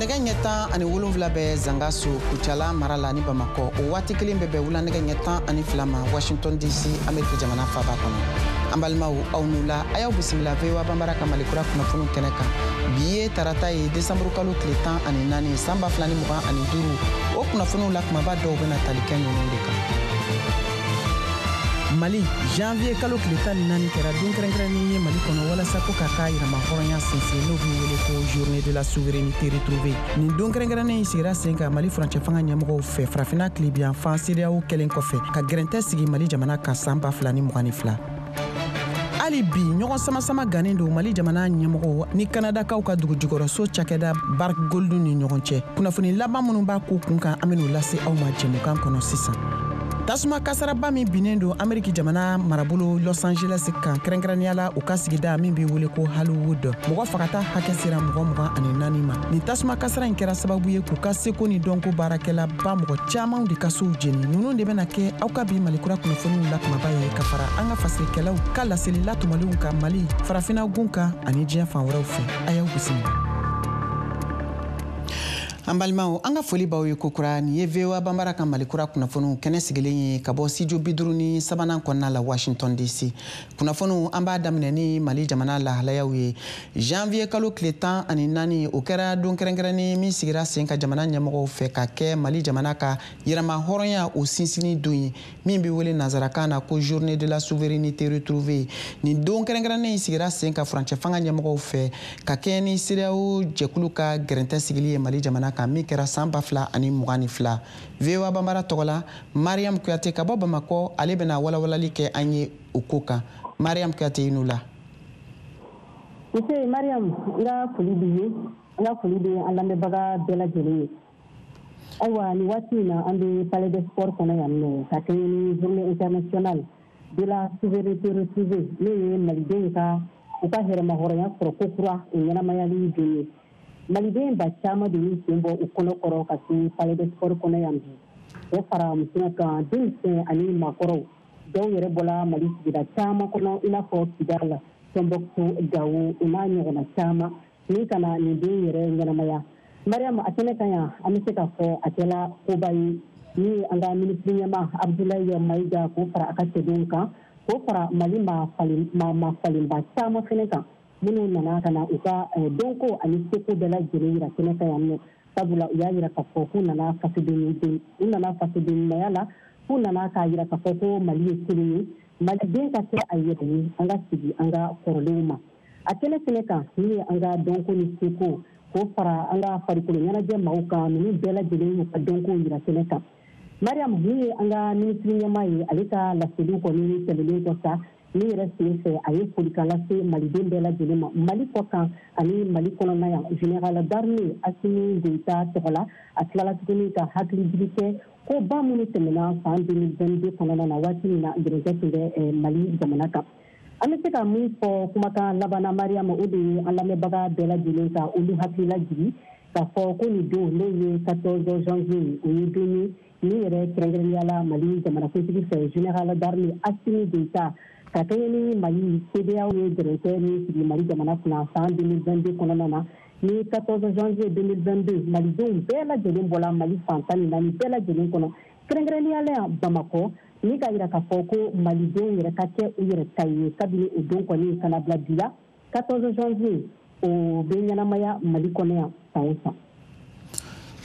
Nɛgɛ ɲɛ 17 bɛ Zangaso, Kucala mara la ni Bamakɔ. O waati kelen bɛ bɛn wula nɛgɛ ɲɛ 12 ma Washington DC, Ameriki jamana faaba kɔnɔ. An balimaw, aw n'u la, a y'aw bisimila VOA Banbara ka Malikura kunnafoniw kɛnɛ kan. Bi ye tarata ye, desanburu kalo tile 14, san 2025. O kunnafoniw la kumaba dɔw bɛna tali kɛ ninnu de kan. Mali, janvier kalo tile 14 kɛra don kɛrɛnkɛrɛnnen ye Mali kɔnɔ walasa ko k'a ka yɛrɛmahɔrɔnya sinsin, n'o bɛ wele ko Journée de la souveraineté retrouvée. Nin don kɛrɛnkɛrɛnnen in sigira sen kan Mali furancɛ fanga ɲɛmɔgɔw fɛ, Farafinna tilebiyanfan CEDEAO kɛlen kɔfɛ ka gɛrɛntɛ sigi Mali jamana kan san 2022. Hali bi, ɲɔgɔn samasama gannen don Mali jamana ɲɛmɔgɔw ni Kanadakaw ka dugujukɔrɔso cakɛda Barrick Gold ni ɲɔgɔn cɛ. Kunnafoni laban minnu b'a ko kun kan, an ben'o lase aw ma jɛmukan kɔnɔ sisan. Tasuma kasaraba min binnen don Ameriki jamana marabolo Los Angeles kan, kɛrɛnkɛrɛnnenya la u ka sigida min bɛ wele ko Hollywood, mɔgɔ fagata hakɛ sera mɔgɔ 24 ma. Nin tasuma kasara in kɛra sababu ye k'u ka seko ni dɔnko baarakɛlaba mɔgɔ caman de ka sow jeni. Ninnu de bɛna kɛ aw ka bi Malikura kunnafoniw la kumaba ye, ka fara an ka fasirikɛlaw ka laseli latɔmɔlenw kan Mali, Farafinna gun kan ani diɲɛ fan wɛrɛw fɛ. A y'aw bisimila. An balimaw, an ka foli b'aw ye kokura. Nin ye VOA Banbara ka Malikura kunnafoniw kɛnɛ sigilen ye ka bɔ studio 53nan kɔnɔna la, Washington DC. Kunnafoniw, an b'a daminɛ ni Mali jamana lahalayaw ye. Janvier kalo tile 14, o kɛra don kɛrɛnkɛrɛnnen min sigira sen ka jamana ɲɛmɔgɔw fɛ ka kɛ Mali jamana ka yɛrɛma hɔrɔnya o sinsinni don ye, min bɛ wele nanzarakan na ko Journée de la souveraineté retrouvée. Nin don kɛrɛnkɛrɛnnen in sigira sen ka furancɛ fanga ɲɛmɔgɔw fɛ ka kɛɲɛ ni CEDEAO jɛkulu ka gɛrɛntɛ sigili ye Mali jamana kan, min kɛra san 2022. VOA Banbara tɔgɔ la, Mariam Kuyate ka bɔ Bamakɔ, ale bɛna walawalali kɛ an ye o ko kan. Mariam Kuyate, i n'u la. Nse Mariam, n ka foli b'i ye, n ka foli bɛ an lamɛnbaga bɛɛ lajɛlen ye. Ayiwa, nin waati in na, an bɛ Palais des Sports kɔnɔ yan nɔ ka kɛɲɛ ni Journée internationale de la souveraineté retrouvée, n'o ye malidenw ka u ka yɛrɛmahɔrɔnya sɔrɔ ko kura o ɲɛnamayali don ye. Maliden ba caman de y'u sen bɔ u kɔnɔ kɔrɔ ka se Palais des Sports kɔnɔ yan bi, o fara musow kan, denmisɛn ani maakɔrɔw. Dɔw yɛrɛ bɔla Mali sigida caman kɔnɔ, i n'a fɔ Kidal, Tɔnbɔkutu, Gawo, o n'a ɲɔgɔnna caman, ni ka na nin den yɛrɛ ɲɛnamaya. Mariam, a kɛnɛ kan yan, an bɛ se k'a fɔ a kɛla koba ye ni ye an ka minisiri ɲɛma Abdoulaye Maïga k'o fara a ka cɛdenw kan, k'o fara Mali maa falenba caman fɛnɛ kan, minnu nana ka na u ka dɔnko ani seko bɛɛ lajɛlen yira kɛnɛ kan yan nɔ, sabula u y'a yira k'a fɔ k'u nana fasoden, u nana fasoden ɲumanya la, k'u nana k'a yira k'a fɔ ko Mali ye kelen ye, maliden ka kɛ a yɛrɛ ye, an ka sigi an ka kɔrɔlenw ma. A kɛnɛ fɛnɛ kan, min ye an ka dɔnko ni seko k'o fara an ka farikolo ɲɛnajɛ maaw kan, ninnu bɛɛ lajɛlen y'u ka dɔnko yira kɛnɛ kan. Mariam, min ye an ka minisiri ɲɛmaa ye, ale ka laseliw kɔni tɛmɛnen kɔ sa, min yɛrɛ sen fɛ a ye folikan lase maliden bɛɛ lajɛlen ma Mali kɔ kan ani Mali kɔnɔna yan, général d'armée Assimi Goïta tɔgɔ la. A tilala tuguni ka hakilijigi kɛ ko ba minnu tɛmɛna san 2022 kɔnɔna na, waati min na gɛrɛntɛ tun bɛ Mali jamana kan. An bɛ se ka min fɔ kumakan laban na, Mariam, o de ye an lamɛnbaga bɛɛ lajɛlen ka olu hakilila jigi k'a fɔ ko nin don, n'o ye 14 janvier ye, o ye don ye min yɛrɛ kɛrɛnkɛrɛnnenya la Mali jamanakuntigi fɛ, général d'armée Assimi Goïta, ka kɛɲɛ ni Mali CEDEAO ye gɛrɛntɛ min sigi Mali jamana kunna san 2022 kɔnɔna na. Ni 14 janvier 2022, malidenw bɛɛ lajɛlen bɔla Mali fan 14 bɛɛ lajɛlen kɔnɔ, kɛrɛnkɛrɛnnenya la yan Bamakɔ, ni k'a yira k'a fɔ ko malidenw yɛrɛ ka kɛ u yɛrɛ ta ye. Kabini o don kɔni ka na bila bi la, 14 janvier o bɛ ɲɛnamaya Mali kɔnɔ yan san o san.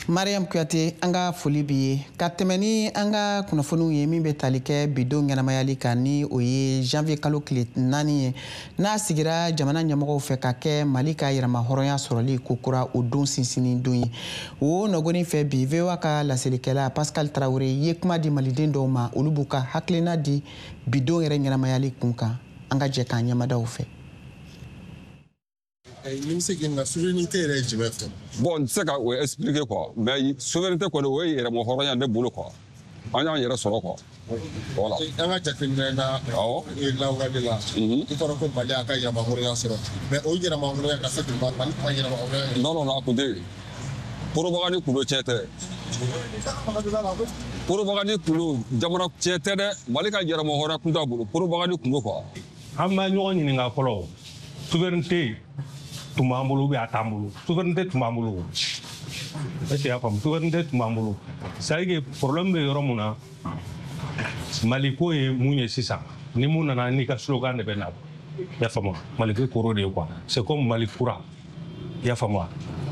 Mariam Kuyate, an ka foli b'i ye. Ka tɛmɛ ni an ka kunnafoniw ye min bɛ tali kɛ bidon ɲɛnamayali kan, ni o ye janvier kalo tile 4 ye, n'a sigira jamana ɲɛmɔgɔw fɛ ka kɛ Mali ka yɛrɛma hɔrɔnya sɔrɔli ko kura o don sinsinni don ye. O nɔgɔni fɛ bi, VOA ka laselikɛla Pascal Traoré ye kuma di maliden dɔw ma, olu b'u ka hakilina di bidon yɛrɛ ɲɛnamayali kun kan. An ka jɛ k'an ɲɛmadaw fɛ. Ni bɛ se k'i ɲininka, souveraineté yɛrɛ ye jumɛn fɛ? Bon, n tɛ se ka o expliquer quoi, mais souveraineté kɔni, o ye yɛrɛma hɔrɔnya ne bolo quoi. An y'an yɛrɛ sɔrɔ quoi. Voilà. An ka jateminɛ na, lawale la, i fɔra ko Mali y'a ka yɛrɛma hɔrɔnya sɔrɔ, mais o yɛrɛma hɔrɔnya ka se k'o Mali ma yɛrɛma hɔrɔnya. Non, non, non, a kun tɛ yen. Propagande kun don, tiɲɛ tɛ. Propagande kun don, jamana tiɲɛ tɛ dɛ. Mali ka yɛrɛma hɔrɔnya kun t'a bolo, propagande kun don quoi. An b'a ɲɔgɔn ɲininka fɔlɔ, souveraineté tun b'an bolo ou bien a t'an bolo? Souveraineté tun b'an bolo. Est-ce que y'a faamu? Souveraineté tun b'an bolo. C'est à dire que problème bɛ yɔrɔ mun na, Mali ko ye mun ye sisan, ni mun nana n'i ka slogan de bɛ na. I y'a faamu? Mali ko kɔrɔ de ye quoi. C'est comme Mali kura. I y'a faamu wa?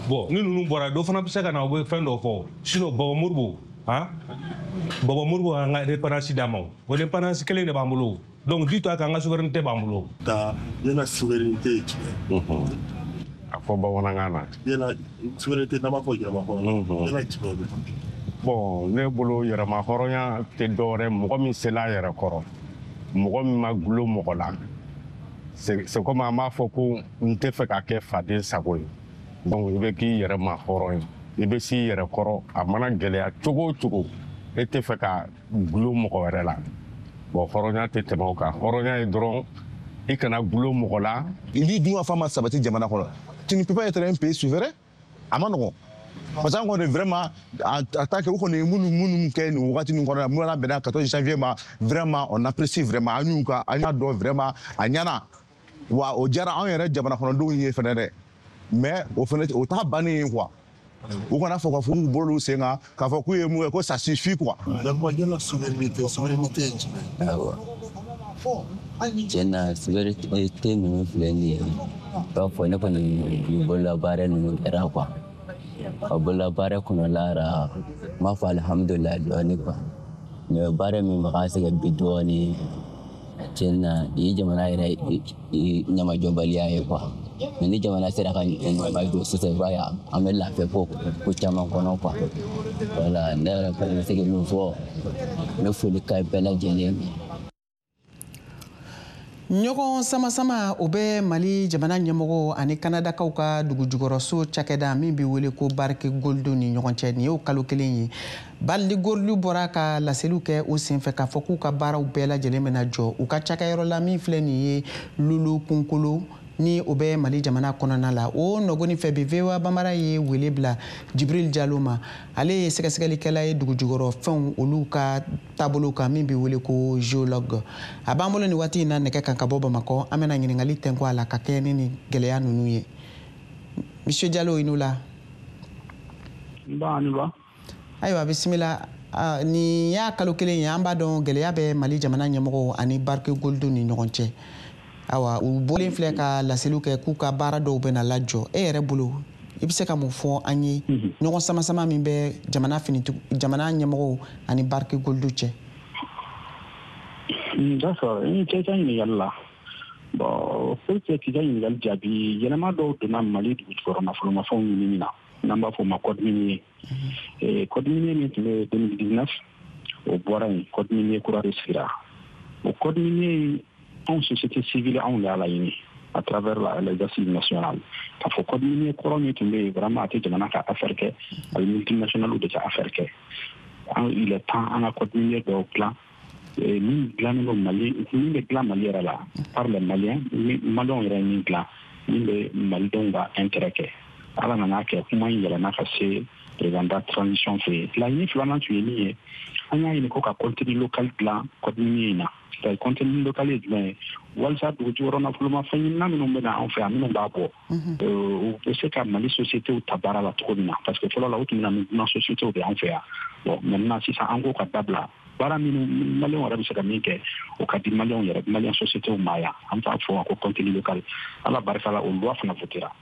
Bon, ni ninnu bɔra, dɔ fana bɛ se ka na, u bɛ fɛn dɔ fɔ. Sinon Baba Modibo, han, Baba Modibo y'an ka indépendance d'a ma o. O indépendance kelen de b'an bolo. Donc dis-toi k'an ka souveraineté b'an bolo. Ta yala souveraineté ye jumɛn? A fɔ bamanankan na. Yala souveraineté, n'an b'a fɔ yɛrɛma hɔrɔnya, yala jumɛn don? Bon, ne bolo, yɛrɛma hɔrɔnya tɛ dɔwɛrɛ, mɔgɔ min sela a yɛrɛ kɔrɔ, mɔgɔ min ma gulon mɔgɔ la. C'est comme an b'a fɔ ko n tɛ fɛ ka kɛ faden sago ye. Donc i bɛ k'i yɛrɛ ma hɔrɔn ye, i bɛ s'i yɛrɛ kɔrɔ, a mana gɛlɛya cogo o cogo, e tɛ fɛ ka gulon mɔgɔ wɛrɛ la. Bon, hɔrɔnya tɛ tɛmɛ o kan. Hɔrɔnya ye dɔrɔn i kana gulon mɔgɔ la. Ni dun ka fa ma sabati jamana kɔnɔ, tu ne peux pas être un pays souverain. A ma nɔgɔn, parce que an kɔni vraiment, en tant que u kɔni ye minnu kɛ nin wagati nin kɔnɔ, minnu bɛnna 14 janvier ma, vraiment on apprécie vraiment. An y'u ka, an y'a dɔn vraiment a ɲɛna wa, o diyara anw yɛrɛ jamana kɔnɔdenw ye fɛnɛ dɛ. Mais o fɛnɛ, o t'a bannen ye quoi. U kana fɔ k'a fɔ k'u bolo sen kan k'a fɔ k'u ye mun kɛ, ko ça suffit quoi. D'accord, yala souveraineté ye jumɛn? Awɔ, tiɲɛ na, souveraineté ninnu filɛ nin ye, i b'a fɔ ne kɔni bolola baara ninnu kɛra quoi. A bolola baara kɔnɔla la, n b'a fɔ alihamudulilayi dɔɔni quoi. Mais baara min bɛ ka sɛgɛn bi dɔɔni, tiɲɛ na, nin ye jamana yɛrɛ ɲamajɔbaliya ye quoi. Mais ni jamana sera ka ɲamajɔ sisan, i b'a ye an bɛ lafiya ko caman kɔnɔ quoi. Wala, ne yɛrɛ fana bɛ se ka min fɔ, n bɛ foli ka bɛɛ lajɛlen. Ɲɔgɔn sama-sama o bɛ Mali jamana ɲɛmɔgɔ ani Kanadakaw ka dugujukɔrɔso cakɛda min bɛ wele ko Barrick Gold ni ɲɔgɔn cɛ. Nin y'o kalo kelen ye. Barrick Gold bɔra ka laseliw kɛ o senfɛ k'a fɔ k'u ka baaraw bɛɛ lajɛlen bɛna jɔ u ka cakɛyɔrɔ la min filɛ nin ye Loulo-Gounkoto, ni o bɛ Mali jamana kɔnɔna la. O nɔgɔni fɛ bi, VOA Bambara ye wele bila Jibril Jalo ma. Ale ye sɛgɛsɛgɛlikɛla ye dugujukɔrɔ fɛnw olu ka taabolo kan, min bɛ wele ko géologue. A b'an bolo nin waati in na nɛgɛ kan ka bɔ Bamakɔ. An bɛna ɲininkali tɛnku a la ka kɛ ni nin gɛlɛya ninnu ye. Monsieur Jalo, i n'u la. Nba, ni ba. Ayiwa, bisimila. Nin y'a kalo kelen ye, an b'a dɔn gɛlɛya bɛ Mali jamana ɲɛmɔgɔw ani Barrick Gold ni ɲɔgɔn cɛ. Awa, u bɔlen filɛ ka laseliw kɛ k'u ka baara dɔw bɛna lajɔ. E yɛrɛ bolo, i bɛ se ka mun fɔ an ye ɲɔgɔn sama-sama min bɛ jamana finitigiw, jamana ɲɛmɔgɔw ani Barrick Gold cɛ? D'accord, i cɛ ka ɲininkali la. Bon, pour que k'i ka ɲininkali jaabi, yɛlɛma dɔw donna Mali dugujukɔrɔ nafolomafɛnw ɲinini na, n'an b'a fɔ o ma code minier. Code minier min tun bɛ 2019, o bɔra yen, code minier kura de sigira. O code minier, anw société civile, anw de y'a laɲini à travers les assises nationales, k'a fɔ code minier kɔrɔ min tun bɛ yen, vraiment a tɛ jamana ka affaire kɛ, a bɛ multinationales de ka affaire kɛ. Il est temps an ka code minier dɔw dilan min dilannen don Mali, min bɛ dilan Mali yɛrɛ la par les Maliens, Maliens yɛrɛ ye min dilan, min bɛ Malidenw ka intérêt kɛ. Ala nana kɛ kuma in yɛlɛnna ka se président de transition fɛ yen. Laɲini filanan tun ye min ye, an y'a ɲini ko ka contenu local dilan code minier in na. C'est contenu local ye jumɛn ye? Walasa dugujukɔrɔ nafolomafɛn ɲinina minnu bɛ na anw fɛ yan, minnu b'a bɔ, u bɛ se ka Mali sociétés ta baara la cogo min na, parce que fɔlɔ la, u tun bɛ na ni dunan sociétés de y'an fɛ yan. Bon, maintenant sisan, an k'o ka dabila. Baara minnu Maliyɛnw yɛrɛ bɛ se ka min kɛ, o ka di Maliyɛnw yɛrɛ, Maliyɛn sociétés ma yan, an b'a fɔ ko contenu local. Ala barika la, o loi fana votera.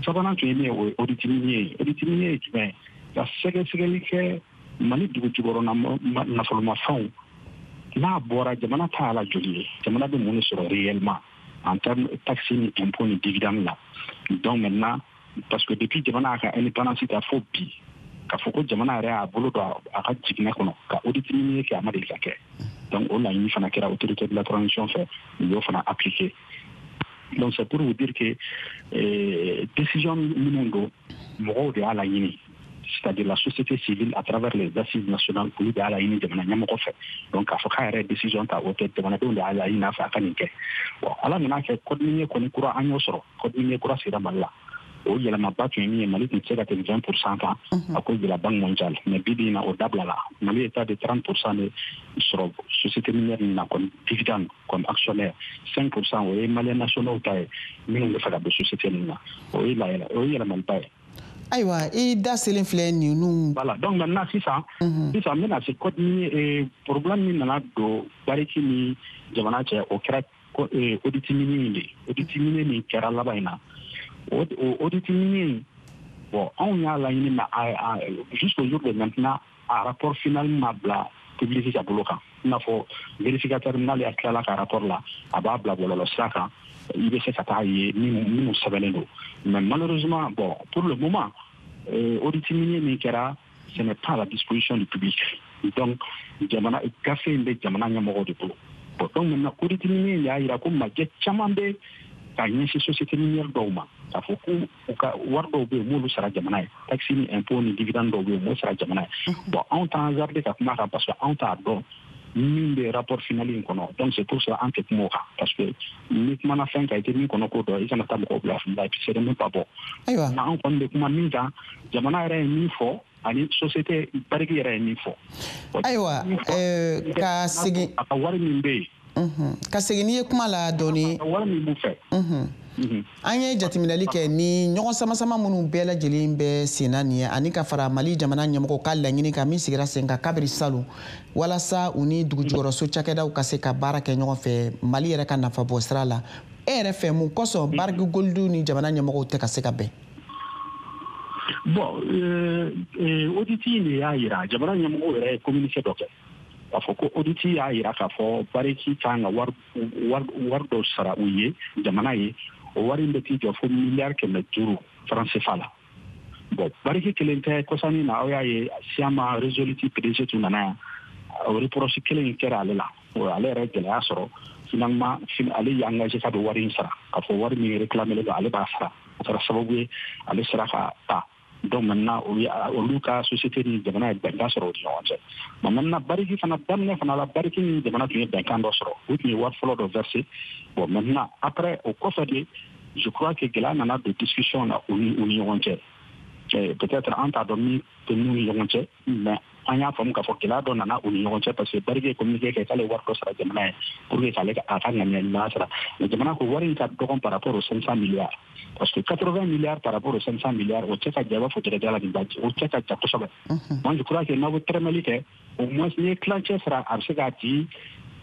Sabanan tun ye min ye, o ye audit minier ye. Audit minier ye jumɛn ye? Ka sɛgɛsɛgɛli kɛ Mali dugujukɔrɔ nafolomafɛnw n'a bɔra, jamana ta la joli ye, jamana bɛ mun de sɔrɔ réellement en termes taxe ni impôt ni dividende la. Donc maintenant, parce que depuis jamana y'a ka indépendance ta fo bi, k'a fɔ ko jamana yɛrɛ y'a bolo don a ka jiginɛ kɔnɔ ka audit minier kɛ, a ma deli ka kɛ. Donc o laɲini fana kɛra autorité de la transition fɛ, u y'o fana appliqué. Donc c'est pour vous dire que décision minnu don, mɔgɔw de y'a laɲini, c'est-à-dire la société civile à travers les assises nationales, olu de y'a laɲini jamana ɲɛmɔgɔ fɛ. Donc k'a fɔ k'a yɛrɛ décision ta, o tɛ, jamanadenw de y'a laɲini a fɛ a ka nin kɛ. Bon, Ala nana kɛ code minier kɔni kura, an y'o sɔrɔ, code minier kura sera Mali la. O yɛlɛmaba tun ye min ye, Mali tun tɛ se ka tɛmɛ 20 % kan à cause de la Banque mondiale, mais bi bi in na, o dabilala. Mali ye tas de 30 % de sɔrɔ société minière nin na comme dividende, comme actionnaire. 5 %, o ye Malien nationaux ta ye minnu bɛ fɛ ka don société ninnu na. O ye layɛlɛ, o ye yɛlɛmaliba ye. Ayiwa, i da selen filɛ ninnu. Voilà, donc maintenant sisan sisan n bɛna se code minier. Problème min nana don Barrick ni jamana cɛ, o kɛra audit minier in de ye. Audit minier min kɛra laban in na, o audit minier, bon, anw y'a laɲini, mais jusqu'au jour de maintenant, a rapport final ma bila public ka bolo kan. I n'a fɔ vérificateur, n'ale tilala ka rapport la, a b'a bila bɔlɔlɔ sira kan, i bɛ se ka taa ye minnu sɛbɛnnen don. Mais malheureusement, bon, pour le moment, audit minier min kɛra, ce n'est pas à la disposition du public. Donc jamana gafe in bɛ jamana ɲɛmɔgɔw de bolo. Bon, donc maintenant, audit minier y'a yira ko majɛ caman bɛ ka ɲɛsin société minière dɔw ma, k'a fɔ ko u ka wari dɔw bɛ yen, m'olu sara jamana ye, taxe ni impôt ni dividende dɔw bɛ yen, m'o sara jamana ye. Bon, anw t'an hasarder ka kuma kan parce que anw t'a dɔn min bɛ rapport final in kɔnɔ. Donc c'est pour ça an tɛ kuma o kan, parce que ni kumana fɛn kan, i tɛ min kɔnɔ ko dɔn, i kana taa mɔgɔw bila fili la, et puis c'est même pas bon. Ayiwa. Mais an kɔni bɛ kuma min kan, jamana yɛrɛ ye min fɔ ani société Barrick yɛrɛ ye min fɔ. Ayiwa, ka segin a ka wari min bɛ yen. Ka segin n'i ye kuma la dɔɔni. Wari min b'u fɛ. An ye jateminɛli kɛ ni ɲɔgɔn sama-sama minnu bɛɛ lajɛlen bɛ sen na nin ye, ani ka fara Mali jamana ɲɛmɔgɔw ka laɲini kan min sigira sen kan kabiri salon, walasa u ni dugujukɔrɔso cakɛdaw ka se ka baara kɛ ɲɔgɔn fɛ Mali yɛrɛ ka nafa bɔ sira la. E yɛrɛ fɛ, mun kosɔn Barrick Gold ni jamana ɲɛmɔgɔw tɛ ka se ka bɛn? Bon, audit in de y'a yira, jamana ɲɛmɔgɔw yɛrɛ ye communiqué dɔ kɛ k'a fɔ ko audit y'a yira k'a fɔ Barrick kan ka wari dɔw sara u ye, jamana ye. O wari in bɛ t'i jɔ fo miliyari 500 franc CFA la. Bon, Barrick kelen tɛ. Kɔsani na, aw y'a ye, Syama Resolute PDG tun nana yan, o reproche kelen in kɛra ale la. Ale yɛrɛ gɛlɛya sɔrɔ. Finalement, ale y'i engagé k'a bɛ wari in sara, k'a fɔ wari min réclamé don, ale b'a sara. O kɛra sababu ye ale sera ka ta. Donc maintenant, olu ka société ni jamana ye bɛnkan sɔrɔ u ni ɲɔgɔn cɛ. Bon, maintenant, Barrick fana, daminɛ fana la, Barrick ni jamana tun ye bɛnkan dɔ sɔrɔ, u tun ye wari fɔlɔ dɔ versé. Bon, maintenant, après, o kɔfɛ de, je crois que gɛlɛya nana don discussion na u ni ɲɔgɔn cɛ. Peut-être an t'a dɔn min tɛ n'u ni ɲɔgɔn cɛ, mais an y'a faamu k'a fɔ gɛlɛya dɔ nana u ni ɲɔgɔn cɛ, parce que Barrick ye communiqué kɛ k'ale wari dɔ sara jamana ye pour que k'ale a ka ŋaniya ɲuman sara. Mais jamana ko wari in ka dɔgɔn par rapport aux 500 milliards, parce que 80 milliards par rapport aux 500 milliards, o cɛ ka jan, i b'a fɔ jɛgɛjala nin ba, o cɛ ka jan kosɛbɛ. Moi, je crois que n'aw bɛ tɛrɛmɛli kɛ, au moins n'i ye tilancɛ sara, a bɛ se k'a tigi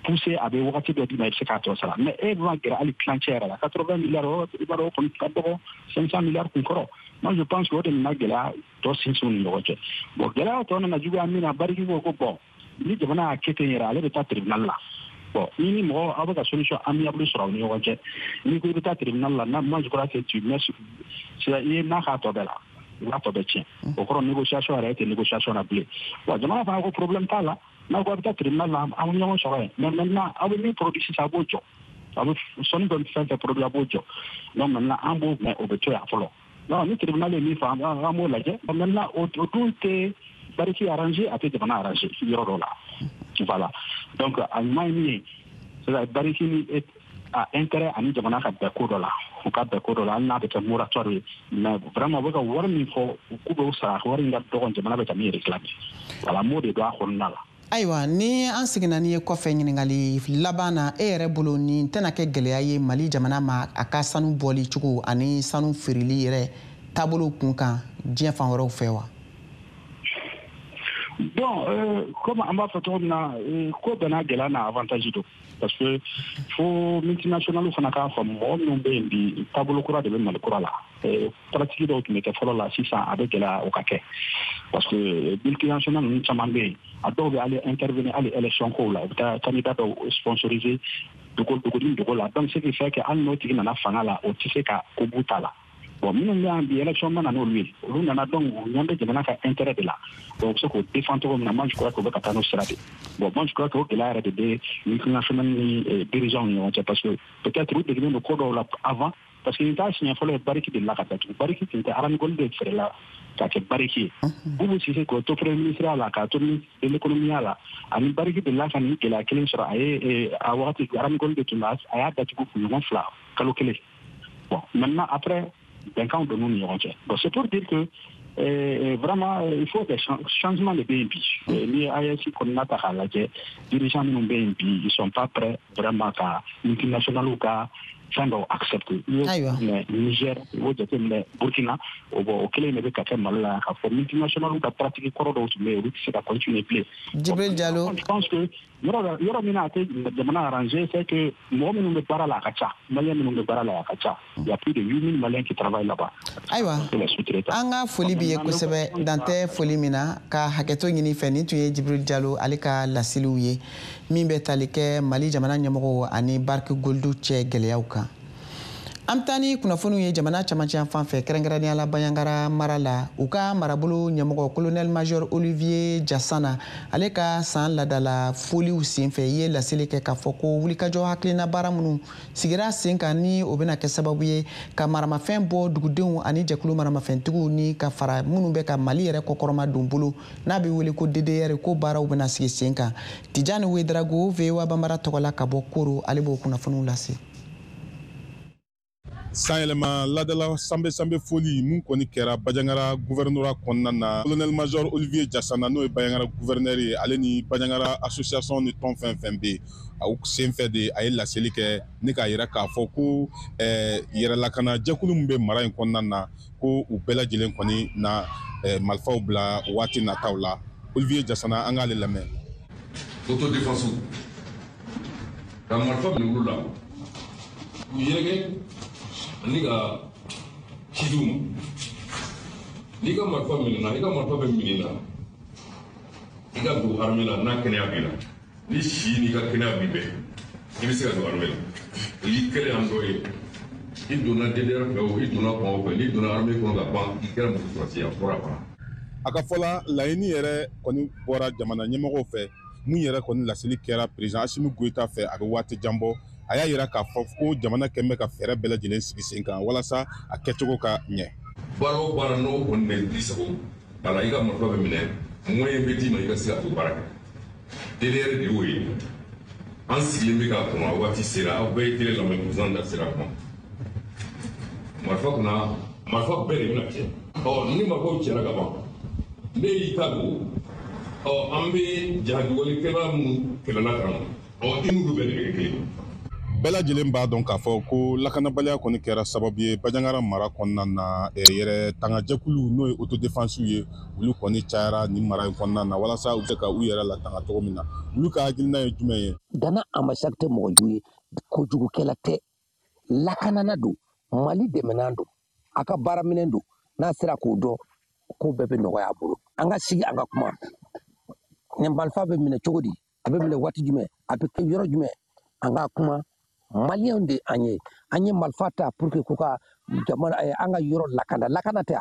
pousser, a bɛ wagati dɔ d'i ma, i bɛ se k'a tɔ sara. Mais e ma gɛrɛ hali tilancɛ yɛrɛ la, 80 milliards, i b'a dɔn o kɔni ka dɔgɔ 500 milliards kun kɔrɔ. Moi, je pense que o de nana gɛlɛya tɔ sinsin u ni ɲɔgɔn cɛ. Bon, gɛlɛya tɔ nana juguya min na, Barrick ko bon, ni jamana y'a kɛ ten yɛrɛ, ale bɛ taa tribunal la. Bon, ni mɔgɔ aw bɛ ka solution amiable sɔrɔ aw ni ɲɔgɔn cɛ, n'i ko i bɛ taa tribunal la, na, moi, je crois que tu mets, i ye n'a k'a tɔ bɛɛ la, i b'a tɔ bɛɛ tiɲɛ. O kɔrɔ, négociation yɛrɛ e tɛ négociation na bilen. Bon, jamana fana ko problème t'a la, n'aw ko a bɛ taa tribunal la, an bɛ ɲɔgɔn sɔrɔ yen. Mais maintenant, aw bɛ min produit sisan, a b'o jɔ, aw bɛ sɔnni bɛ fɛn fɛn produit, a b'o jɔ. Donc maintenant, an b'o mɛn, o bɛ to yan fɔlɔ. Non, ni tribunal ye min fɔ, an b'o lajɛ. Maintenant, o dun tɛ Barrick arrangé, a tɛ jamana arrangé yɔrɔ dɔ la. Voilà, donc a ɲuman ye min ye, c'est Barrick ni a intérêt ani jamana ka bɛn ko dɔ la, u ka bɛn ko dɔ la, hali n'a bɛ kɛ moratoire ye. Mais vraiment, u bɛ ka wari min fɔ k'u bɛ sara, wari in ka dɔgɔn jamana bɛ ka min réclamer. Voilà, m'o de don a kɔnɔna la. Ayiwa, ni an seginna n'i ye kɔfɛ, ɲininkali laban na, e yɛrɛ bolo, nin tɛna kɛ gɛlɛya ye Mali jamana ma a ka sanu bɔli cogo ani sanu feereli yɛrɛ taabolo kun kan diɲɛ fan wɛrɛw fɛ wa? Bon, comme an b'a fɔ cogo min na, ko bɛɛ n'a gɛlɛya n'a avantage don, parce que fo multinational fana k'a faamu, mɔgɔ minnu bɛ yen bi, taabolo kura de bɛ Mali kura la. Pratique dɔw tun bɛ kɛ fɔlɔ la, sisan a bɛ gɛlɛya o ka kɛ, parce que multinational ninnu caman bɛ yen, a dɔw bɛ hali intervenir hali élection kow la, u bɛ taa candidat dɔw sponsoriser dogo dogo ni dogo la. Donc ce qui fait que hali n'o tigi nana fanga la, o tɛ se ka ko b'u ta la. Bon, minnu bɛ yan bi, élection ma na n'olu ye, olu nana, donc u ɲɛ bɛ jamana ka intérêt de la. Donc u bɛ se k'o défend cogo min na, moi, je crois que u bɛ ka taa n'o sira de. Bon, moi, je crois que o gɛlɛya yɛrɛ de bɛ multinational ni dirigeants ni ɲɔgɔn cɛ, parce que peut-être u degelen don ko dɔw la avant, parce que nin t'a siɲɛ fɔlɔ ye Barrick delila ka datugu. Barrick tun tɛ, Arani de feerela ka kɛ Barrick ye. Boubou Cissé, k'o to premier ministre la, k'a to ministre de l'économie la, ani Barrick delila ka nin gɛlɛya kelen sɔrɔ. A ye a wagati Arani de tun bɛ, a y'a datugu kunɲɔgɔn 2, kalo kelen. Bon, maintenant, après, bɛnkanw donn'u ni ɲɔgɔn cɛ. Bon, c'est pour dire que vraiment, il faut des changements de bɛ yen bi. N'i ye AES kɔnɔna ta k'a lajɛ, dirigeants minnu bɛ yen bi, ils sont pas prêts vraiment ka multinationales ka fɛn dɔw accepter. Mais Niger, i b'o jateminɛ Burkina, o bon, o kelen de bɛ ka kɛ Mali la, k'a fɔ multinationales ka pratique kɔrɔ dɔw tun bɛ yen, olu tɛ se ka continuer bilen. Djibril Diallo. Je pense que yɔrɔ min na a tɛ jamana arranger, c'est que mɔgɔ minnu bɛ baara la a ka ca, Malien minnu bɛ baara la a ka ca. Il y a plus de 8000 Maliens qui travaillent là-bas. Ayiwa, an ka foli b'i ye kosɛbɛ, dan tɛ foli min na, ka hakɛto ɲini fɛ. Nin tun ye Djibril Diallo ale ka laseliw ye min bɛ tali kɛ Mali jamana ɲɛmɔgɔw ani Barrick Gold cɛ gɛlɛyaw kan. An bɛ taa ni kunnafoniw ye jamana camancɛ fan fɛ, kɛrɛnkɛrɛnnenya la Bandiagara mara la. U ka marabolo ɲɛmɔgɔ, colonel major Olivier Jasana, ale ka san ladala foliw senfɛ, i ye laseli kɛ k'a fɔ ko wulikajɔ hakilina baara minnu sigira sen kan, ni o bɛna kɛ sababu ye ka maramafɛn bɔ dugudenw ani jɛkulu maramafɛntigiw, ni ka fara minnu bɛ ka Mali yɛrɛ kɔkɔrɔma don bolo, n'a bɛ wele ko DDR, ko baaraw bɛna sigi sen kan. Tijani Wedrago, VOA Banbara tɔgɔ la ka bɔ Koro, ale b'o kunnafoniw lase. Sanyɛlɛma ladala sanbe sanbe foli mun kɔni kɛra Bandiagara gouvernorat kɔnɔna na, colonel major Olivier Jasana, n'o ye Bandiagara gouverneur ye, ale ni Bandiagara association ni tɔn fɛn fɛn bɛ yen, aw senfɛ de a ye laseli kɛ ni k'a yira k'a fɔ ko yɛrɛlakana jɛkulu min bɛ mara in kɔnɔna na, ko u bɛɛ lajɛlen kɔni na marifaw bila waati nataw la. Olivier Jasana, an k'ale lamɛn. Autodéfense ka marifa minɛ olu la, k'u yɛrɛkɛ ani ka ci d'u ma. N'i ka marifa minɛna, i ka marifa bɛ minɛ na, i ka don armée la n'a kɛnɛya b'i la. Ni si n'i ka kɛnɛya b'i bɛɛ, i bɛ se ka don armée la. O y'i kɛlen an dɔ ye. I donna DDR fɛ o, i donna fan o fɛ, n'i donna armée kɔnɔ ka ban, i kɛra muso sɔrɔsi ye, a fɔra a banna. A ka fɔ la, laɲini yɛrɛ kɔni bɔra jamana ɲɛmɔgɔw fɛ, mun yɛrɛ kɔni laseli kɛra président Assimi Goïta fɛ a bɛ waati jan bɔ. A y'a yira k'a fɔ ko jamana kɛn bɛ ka fɛɛrɛ bɛɛ lajɛlen sigi sen kan walasa a kɛcogo ka ɲɛ. Baara o baara n'o kɔni bɛ di sago a la, i ka marifa bɛ minɛ, moyen bɛ d'i ma i ka se ka t'o baara kɛ. DDR de y'o ye. An sigilen bɛ k'a kɔnɔ, a waati sera, aw bɛɛ ye télé lamɛn, président da sera a kuma. Marifa kunna, marifa bɛɛ de bɛna cɛ. Ɔ ni marifaw cɛra ka ban, ne y'i ta don, ɔ an bɛ jahajiwalikɛla minnu kɛlɛla ka na, ɔ i n'olu bɛɛ de bɛ kɛ kelen ye. Bɛɛ lajɛlen b'a dɔn k'a fɔ ko lakanabaliya kɔni kɛra sababu ye Bandiagara mara kɔnɔna na. Yɛrɛ tangajɛkulu, n'o ye autodéfense ye, olu kɔni cayara nin mara in kɔnɔna na walasa u bɛ se ka u yɛrɛ latanga cogo min na. Olu ka hakilina ye jumɛn ye? Dana Ambassagou tɛ mɔgɔ jugu ye, kojugukɛla tɛ, lakanana don, Mali dɛmɛnan don, a ka baaraminɛn don. N'a sera k'o dɔn, ko bɛɛ bɛ nɔgɔya a bolo. An ka sigi, an ka kuma. Nin marifa bɛ minɛ cogo di? A bɛ minɛ waati jumɛn? A bɛ kɛ yɔrɔ jumɛn? An ka kuma. Maliyɛnw de an ye, an ye marifa ta pour que k'u ka jamana, an ka yɔrɔ lakana. Lakana tɛ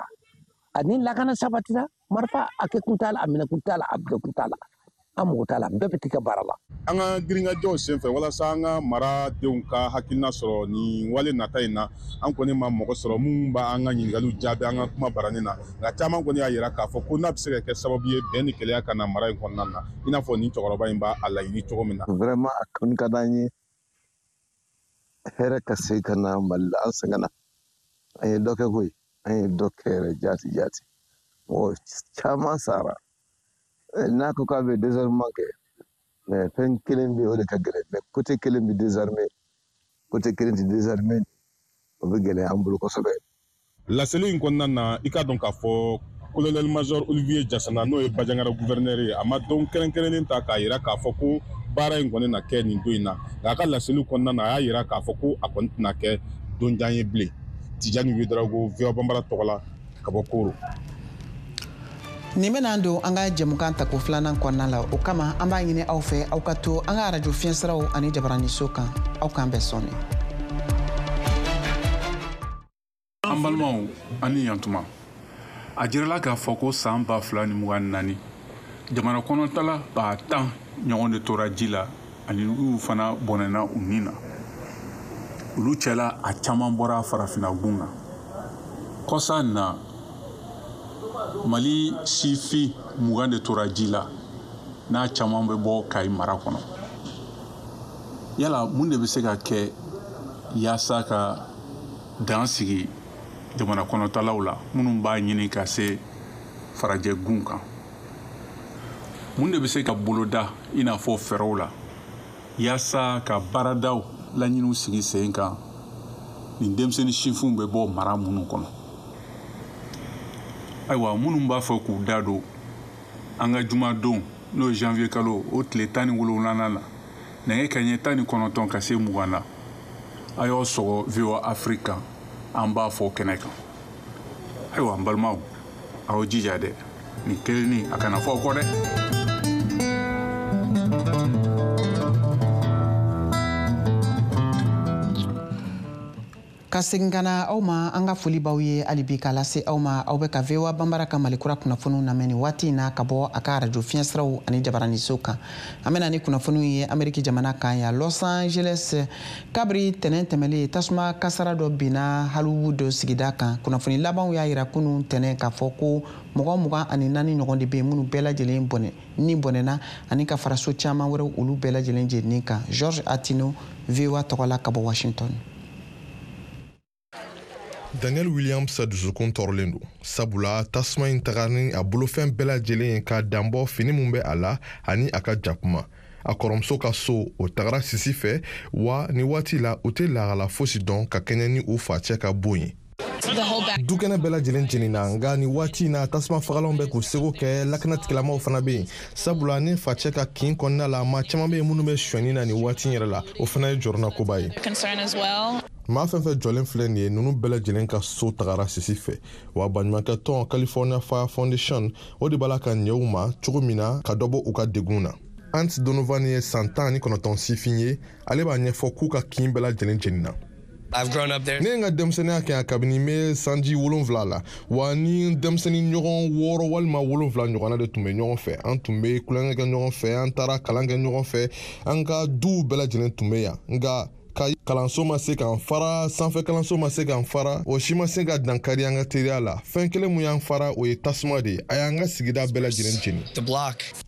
a ni lakana sabatira, marifa a kɛ kun t'a la, a minɛ kun t'a la, a bila kun t'a la, an mago t'a la, bɛɛ bɛ t'i ka baara la. An ka girinkajɔw senfɛ walasa an ka maradenw ka hakilina sɔrɔ nin wale nata in na, an kɔni ma mɔgɔ sɔrɔ mun b'an ka ɲininkaliw jaabi an ka kuma baranin na. Nka caman kɔni y'a yira k'a fɔ ko n'a bɛ se ka kɛ sababu ye bɛn ni kɛlɛya ka na mara in kɔnɔna na, i n'a fɔ nin cɛkɔrɔba in b'a a laɲini cogo min na. Vraiment, a kɔni ka d'an ye hɛrɛ ka se ka na Mali la. An sɛgɛnna, an ye dɔ kɛ koyi, an ye dɔ kɛ yɛrɛ jaati jaati, mɔgɔ caman sara. N'a ko k'a bɛ désarmement kɛ, mais fɛn kelen bɛ yen, o de ka gɛlɛn. Mais côté kelen bɛ désarmé, côté kelen tɛ désarmé, o bɛ gɛlɛya an bolo kosɛbɛ. Laseli in kɔnɔna na, i k'a dɔn k'a fɔ colonel major Olivier Jasana, n'o ye Bandiagara gouverneur ye, a ma don kɛrɛnkɛrɛnnen ta k'a yira k'a fɔ ko baara in kɔni na kɛ nin don in na. Nka a ka laseliw kɔnɔna na, a y'a yira k'a fɔ ko a kɔni tɛna kɛ don jan ye bilen. Tijani Wedrago, VOA Banbara tɔgɔ la ka bɔ Koro. Nin bɛna don an ka jɛmukan tako filanan kɔnɔna la. O kama, an b'a ɲini aw fɛ, aw ka to an ka arajo fiɲɛsiraw ani jabaraniso kan. Aw k'an bɛn sɔɔni. An balimaw, ani yantuma. A jirala k'a fɔ ko san 2024, jamana kɔnɔtala 10 000 ɲɔgɔn de tora ji la, ani olu fana bɔnɛna u ni na. Olu cɛla, a caman bɔra farafinna gun kan. Kɔsa na, Mali sifin 20 de tora ji la, n'a caman bɛ bɔ Kayi mara kɔnɔ. Yala mun de bɛ se ka kɛ yaasa ka dan sigi jamana kɔnɔtalaw la minnu b'a ɲini ka se farajɛ gun kan? Mun de bɛ se ka boloda i n'a fɔ fɛɛrɛw la yaasa ka baaradaw laɲiniw sigi sen kan? Nin denmisɛnnin sifinw bɛ bɔ mara minnu kɔnɔ. Ayiwa, minnu b'a fɛ k'u da don an ka jumadon, n'o ye janvier kalo o tile 17nan na, nɛgɛ kaɲɛ 19 ka se 20 na, a y'aw sɔgɔ VOA Afrique kan, an b'a fɔ kɛnɛ kan. Ayiwa, n balimaw, aw jija dɛ, nin kelenni a kana fɔ aw kɔ dɛ. Ka segin ka na aw ma, an ka foli b'aw ye hali bi k'a lase aw ma. Aw bɛ ka VOA Banbara ka Malikura kunnafoniw lamɛn nin waati in na ka bɔ a ka arajo fiɲɛsiraw ani jabaraniso kan. An bɛna ni kunnafoniw ye Ameriki jamana kan yan, Los Angeles. Kabiri tɛnɛn tɛmɛlen, tasuma kasara dɔ binna Hollywood sigida kan. Kunnafoni labanw y'a yira kunun tɛnɛn k'a fɔ ko mɔgɔ 24 ɲɔgɔn de bɛ yen minnu bɛɛ lajɛlen bɔnɛ ni bɔnɛna, ani ka fara so caman wɛrɛw, olu bɛɛ lajɛlen jeninen kan. George Atino, VOA tɔgɔ la ka bɔ Washington. Daniel Williams dusukun tɔɔrɔlen don, sabula tasuma in taga ni a bolofɛn bɛɛ lajɛlen ye, ka danbɔ fini min bɛ a la ani a ka jakuma. A kɔrɔmuso ka so, o tagara sisi fɛ, wa ni waati la u tɛ lahala fosi dɔn ka kɛɲɛ ni u facɛ ka bon ye. Dukɛnɛ bɛɛ lajɛlen jenina, nka ni waati in na tasuma fagalanw bɛ k'u seko kɛ, lakanatigilamaw fana bɛ yen, sabula ni facɛ ka kin kɔnɔna la, maa caman bɛ yen minnu bɛ sonyɛni na nin waati in yɛrɛ la. O fana ye jɔrɔnakoba ye. Maa fɛn fɛn jɔlen filɛ nin ye, ninnu bɛɛ lajɛlen ka so tagara sisi fɛ. Wa baɲumankɛ tɔn California Fire Foundation, o de b'a la ka ɲɛ u ma cogo min na ka dɔ bɔ u ka degun na. Ant Donovan ye san 19 sifin ye. Ale b'a ɲɛfɔ k'u ka kin bɛɛ lajɛlen jenina. Ne ye n ka denmisɛnninya kɛ yan kabini n bɛ sanji 7 la, wa ni denmisɛnnin ɲɔgɔn 6 walima 7 ɲɔgɔnna de tun bɛ ɲɔgɔn fɛ. An tun bɛ tulonkɛ kɛ ɲɔgɔn fɛ, an taara kalan kɛ ɲɔgɔn fɛ, an ka duw bɛɛ lajɛlen tun bɛ yan. Nka ka kalanso ma se k'an fara, sanfɛ kalanso ma se k'an fara, o si ma se ka dankari an ka teriya la. Fɛn kelen mun y'an fara, o ye tasuma de ye. A y'an ka sigida bɛɛ lajɛlen jeni.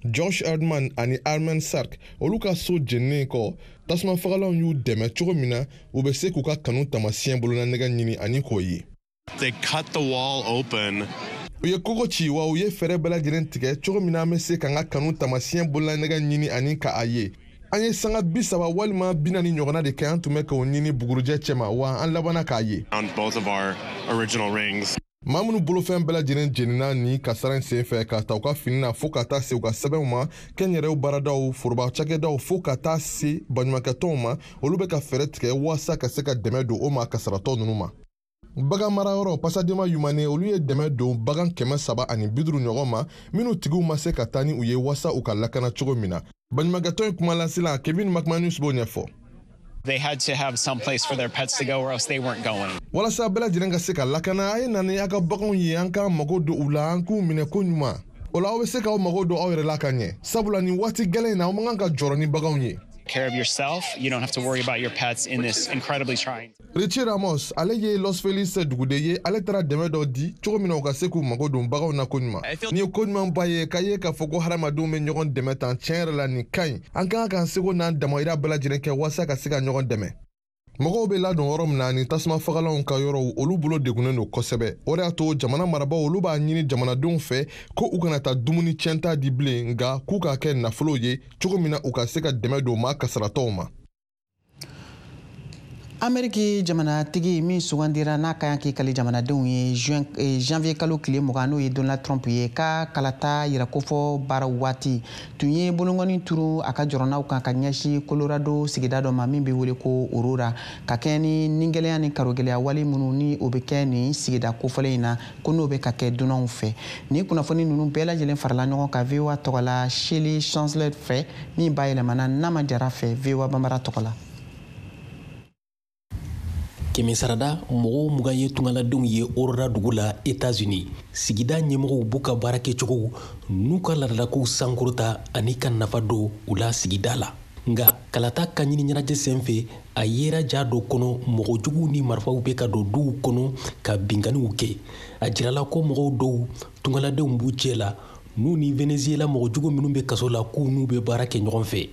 Josh Erdman ani Armen Sark, olu ka so jeninen kɔ, tasuma fagalanw y'u dɛmɛ cogo min na u bɛ se k'u ka kanu taamasiyɛn bolonanɛgɛ ɲini ani k'o ye. They cut the wall open. U ye kogo ci, wa u ye fɛɛrɛ bɛɛ lajɛlen tigɛ cogo min na an bɛ se k'an ka kanu taamasiyɛn bolonanɛgɛ ɲini ani ka a ye. An ye sanga 30 walima 40 ɲɔgɔnna de kɛ, an tun bɛ k'o ɲini bugurujɛ cɛma, wa an labanna k'a ye. Maa minnu bolofɛn bɛɛ lajɛlen jenina ni kasara in senfɛ, ka ta u ka fini na fo ka taa se u ka sɛbɛnw ma, kɛnyɛrɛw baaradaw, foroba cakɛdaw, fo ka taa se baɲumankɛtɔnw ma, olu bɛ ka fɛɛrɛ tigɛ waasa ka se ka dɛmɛ don o ma kasaratɔ ninnu ma. Bagan marayɔrɔ Pasadena Humane, olu ye dɛmɛ don bagan 350 ɲɔgɔn ma, minnu tigiw ma se ka taa ni u ye waasa u ka lakana cogo min na. Baɲumankɛtɔn in kumalasela Kevin McManus b'o ɲɛfɔ. They had to have some place for their pets to go or else they weren't going. Walasa bɛɛ lajɛlen ka se ka lakana, a ye na ni a ka baganw ye, an k'an mago don u la, an k'u minɛ ko ɲuman. O la aw bɛ se k'aw mago don aw yɛrɛ la ka ɲɛ, sabula nin waati gɛlɛn in na, aw man kan ka jɔrɔ ni baganw ye. Care of yourself. You don't have to worry about your pets in this incredibly trying. Richie Ramos, ale ye Los Feliz duguden ye. Ale taara dɛmɛ dɔ di cogo min na u ka se k'u mago don baganw na ko ɲuman. Nin ye ko ɲumanba ye k'a ye k'a fɔ ko hadamadenw bɛ ɲɔgɔn dɛmɛ tan. Tiɲɛ yɛrɛ la, nin ka ɲi. An ka kan k'an seko n'an damayira bɛɛ lajɛlen kɛ walasa ka se ka ɲɔgɔn dɛmɛ. Mɔgɔw bɛ ladon yɔrɔ min na, ni tasuma fagalanw ka yɔrɔw, olu bolo degunnen don kosɛbɛ. O de y'a to jamana marabaaw, olu b'a ɲini jamanadenw fɛ ko u kana taa dumuni tiɲɛta di bilen, nka k'u k'a kɛ nafolo ye cogo min na u ka se ka dɛmɛ don maa kasaratɔw ma. Ameriki jamanatigi min sugandira n'a ka kan k'i kali jamanadenw ye janvier kalo tile 20, n'o ye Donald Trump ye, ka kalata yɛrɛkofɔ baara waati tun ye bolonkɔni turu a ka jɔrɔnaw kan ka ɲɛsin Colorado sigida dɔ ma min bɛ wele ko Aurora, ka kɛɲɛ ni nigɛlɛya ni karogɛlɛya wale minnu ni o bɛ kɛ nin sigida kofɔlen in na, ko n'o bɛ ka kɛ dunanw fɛ. Nin kunnafoni ninnu bɛɛ lajɛlen farala ɲɔgɔn kan VOA tɔgɔ la Shirley Chancellor fɛ, min bayɛlɛmana Nama Jara fɛ VOA Banbara tɔgɔ la. Kɛmɛ sarada mɔgɔw 20 ye tungaladenw ye Aurora dugu la États-Unis. Sigida ɲɛmɔgɔw b'u ka baara kɛcogow n'u ka laadalakow sankɔrɔta ani ka nafa don u la sigida la. Nka kalata ka ɲini ɲɛnajɛ senfɛ, a yera ja dɔ kɔnɔ mɔgɔ juguw ni marifaw bɛ ka don duw kɔnɔ ka binkanniw kɛ. A jirala ko mɔgɔw dɔw tungaladenw b'u cɛ la, n'u ni Venezuela mɔgɔ jugu minnu bɛ kaso la k'u n'u bɛ baara kɛ ɲɔgɔn fɛ.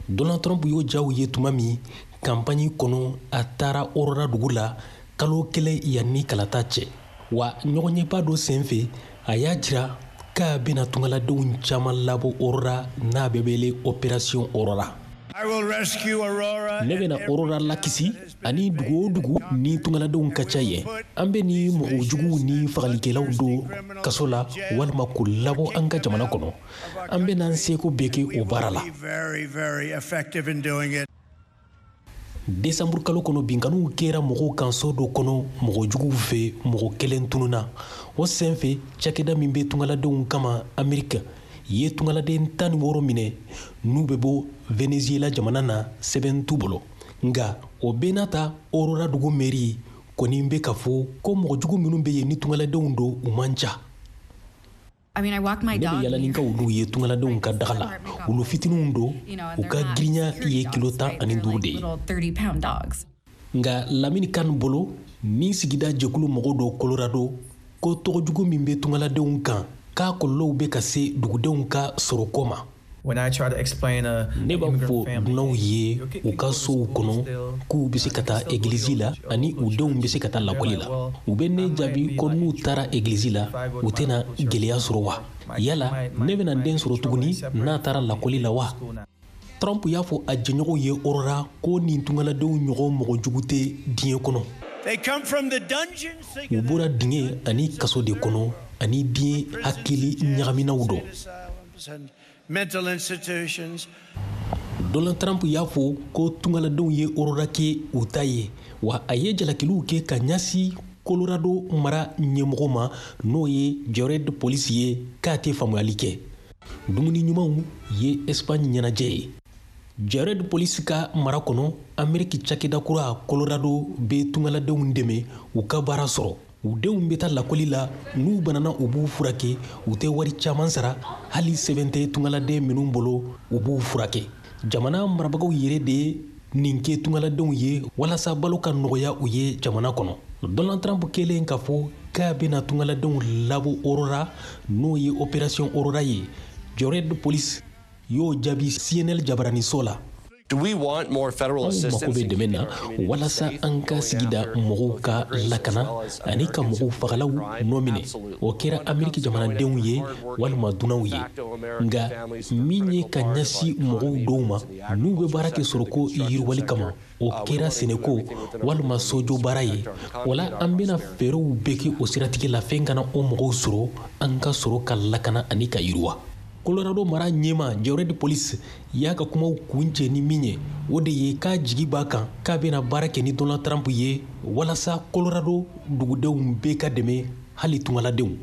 Donald Trump y'o jaw ye tuma min kanpaɲi kɔnɔ, a taara Aurora dugu la kalo 1 yanni kalata cɛ. Wa ɲɔgɔnyeba dɔ senfɛ, a y'a jira k'a bɛna tungaladenw caman labɔ Aurora n'a bɛ wele Opération Aurora. Ne bɛna Aurora lakisi ani dugu o dugu ni tungaladenw ka ca yen. An bɛ ni mɔgɔ juguw ni fagalikɛlaw don kaso la walima k'u labɔ an ka jamana kɔnɔ. An bɛna an seko bɛɛ kɛ o baara la. Desanburu kalo kɔnɔ, binkanniw kɛra mɔgɔw kan so dɔ kɔnɔ mɔgɔ juguw fɛ, mɔgɔ kelen tununna. O senfɛ, cakɛda min bɛ tungaladenw kama Amerika ye tungaladen 16 minɛ n'u bɛ bɔ Venezuela jamana na, sɛbɛn t'u bolo. Nka o bɛɛ n'a ta, Aurora dugu mɛri kɔni bɛ k'a fɔ ko mɔgɔ jugu minnu bɛ yen ni tungaladenw don, u man ca. Ne bɛ yala ni n ka wuluw ye tungaladenw ka daga la. Wulu fitininw don, u ka girinya ye kilo 15 de ye. Nka Lamini Kan bolo, ni sigida jɛkulu mɔgɔ dɔ Colorado, ko tɔgɔ jugu min bɛ tungaladenw kan, k'a kɔlɔlɔw bɛ ka se dugudenw ka sɔrɔko ma. Ne b'a fɔ dunanw ye u ka sow kɔnɔ k'u bɛ se ka taa egilizi la ani u denw bɛ se ka taa lakɔli la. U bɛ ne jaabi ko n'u taara egilizi la, u tɛna gɛlɛya sɔrɔ wa? Yala ne bɛna n den sɔrɔ tuguni n'a taara lakɔli la wa? Trump y'a fɔ a jɛɲɔgɔnw ye Aurora ko nin tungaladenw ɲɔgɔn mɔgɔ jugu tɛ diɲɛ kɔnɔ. U bɔra dingɛ ani kaso de kɔnɔ ani diɲɛ hakili ɲagaminaw dɔ. Donald Trump y'a fɔ ko tungaladenw ye Aurora kɛ u ta ye, wa a ye jalakiliw kɛ ka ɲɛsin Colorado mara ɲɛmɔgɔ ma, n'o ye Jared Polis ye, k'a tɛ faamuyali kɛ. Dumuni ɲumanw ye Espagne ɲɛnajɛ ye. Jared Polis ka mara kɔnɔ, Ameriki cakɛda kura Colorado bɛ tungaladenw dɛmɛ u ka baara sɔrɔ. U denw bɛ taa lakɔli la, n'u banana u b'u furakɛ, u tɛ wari caman sara, hali sɛbɛn tɛ tungaladen minnu bolo, u b'u furakɛ. Jamana marabagaw yɛrɛ de ye nin kɛ tungaladenw ye walasa balo ka nɔgɔya u ye jamana kɔnɔ. Donald Trump kɛlen k'a fɔ k'a bɛna tungaladenw labɔ Aurora, n'o ye opération Aurora ye, Jared Polis y'o jaabi CNN jabaraniso la. Anw mako bɛ dɛmɛ na walasa an ka sigida mɔgɔw ka lakana ani ka mɔgɔw fagalaw nɔ minɛ. O kɛra Ameriki jamanadenw ye walima dunanw ye. Nka min ye ka ɲɛsin mɔgɔw dɔw ma n'u bɛ baara kɛ sɔrɔko yiriwali kama, o kɛra sɛnɛko walima sojɔ baara ye. O la, an bɛna fɛɛrɛw bɛɛ kɛ o siratigɛ la, fɛn kana o mɔgɔw sɔrɔ, an ka sɔrɔ ka lakana ani ka yiriwa. Colorado mara ɲɛmaa Jared Polis y'a ka kumaw kuncɛ ni min ye, o de ye k'a jigi b'a kan k'a bɛna baara kɛ ni Donald Trump ye walasa Colorado dugudenw bɛɛ ka dɛmɛ, hali tungaladenw.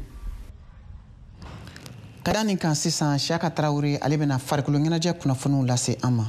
Ka da nin kan sisan, Siyaka Tarawele, ale bɛna farikolo ɲɛnajɛ kunnafoniw lase an ma.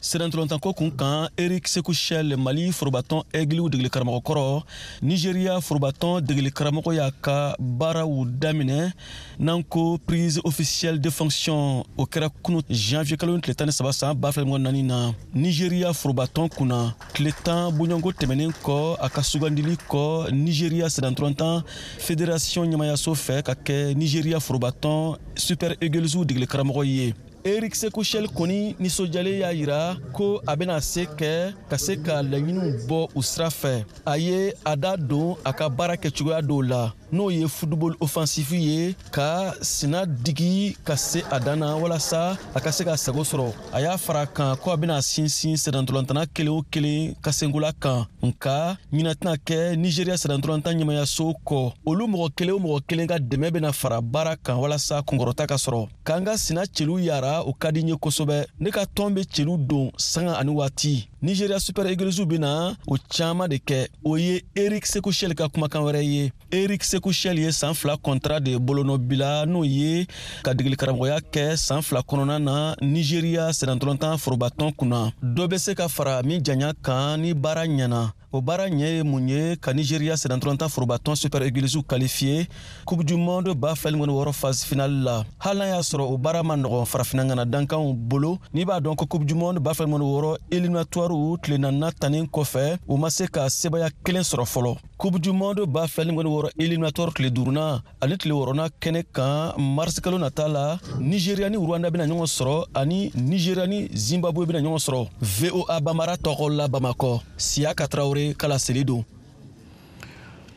Sennantolatanko kun kan, Eric Sekou Chelle, Mali forobatɔn Aigles degeli karamɔgɔ kɔrɔ, Nigeria forobatɔn degeli karamɔgɔ, y'a ka baaraw daminɛ n'an ko prise officielle de fonction. O kɛra kunu janvier kalo tile 13 san 2024 na, Nigeria forobatɔn kunna, tile 10 bɔɲɔgɔnko tɛmɛnen kɔ a ka sugandili kɔ Nigeria sennantolatan fédération ɲɛmayaso fɛ ka kɛ Nigeria forobatɔn Super Eagles degeli karamɔgɔ ye. Eric Sekou Chelle kɔni nisɔndiyalen y'a yira ko a bɛna se kɛ ka se ka laɲiniw bɔ u sira fɛ. A ye a da don a ka baara kɛcogoya dɔw la, n'o ye football offensif ye, ka sina digi ka se a dan na walasa a ka se ka sago sɔrɔ. A y'a fara kan ko a bɛna sinsin sennantolatan kelen o kelen ka senkola kan, nka ɲinɛ tɛna kɛ Nigeria sennantolatan ɲɛmayaso kɔ. Olu mɔgɔ kelen o mɔgɔ kelen ka dɛmɛ bɛna fara baara kan walasa kunkɔrɔta ka sɔrɔ. K'an ka sina cɛlu yara, o ka di n ye kosɛbɛ. Ne ka tɔn bɛ cɛlu don sanga ani waati. Nigeria Super Eagles bɛna o caman de kɛ. O ye Eric Sekou Chelle ka kumakan wɛrɛ ye. Eric Sekou Chelle ye san 2 contrat de bolonɔbila, n'o ye ka degeli karamɔgɔya kɛ san 2 kɔnɔna na Nigeria sennantolatan forobatɔn kunna. Dɔ bɛ se ka fara min janya kan ni baara ɲɛna. O baara ɲɛ ye mun ye? Ka Nigeria sennantolatan forobatɔn Super Eagles qualifié Coupe du Monde 2026 phase finale la, hali n'a y'a sɔrɔ o baara ma nɔgɔn farafinna ŋana dankanw bolo. N'i b'a dɔn ko Coupe du Monde 2026 éliminatoire tile naaninan tannen kɔfɛ, u ma se ka sebaya kelen sɔrɔ fɔlɔ. Coupe du Monde 2026 éliminatoire tile duurunan ani tile wɔɔrɔnan kɛnɛ kan, mars kalo nata la, Nigeria ni Rwanda bɛna ɲɔgɔn sɔrɔ ani Nigeria ni Zimbabwe bɛna ɲɔgɔn sɔrɔ. VOA Bambara tɔgɔ la, Bamakɔ, Siyaka Tarawele kala seli don.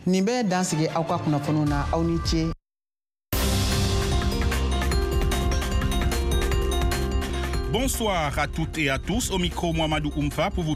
Nin bɛ dan sigi aw ka kunnafoniw na. Aw ni ce. Bon Bonsoir à toutes et à tous. Au micro, Mohamedou Oumfa pour vous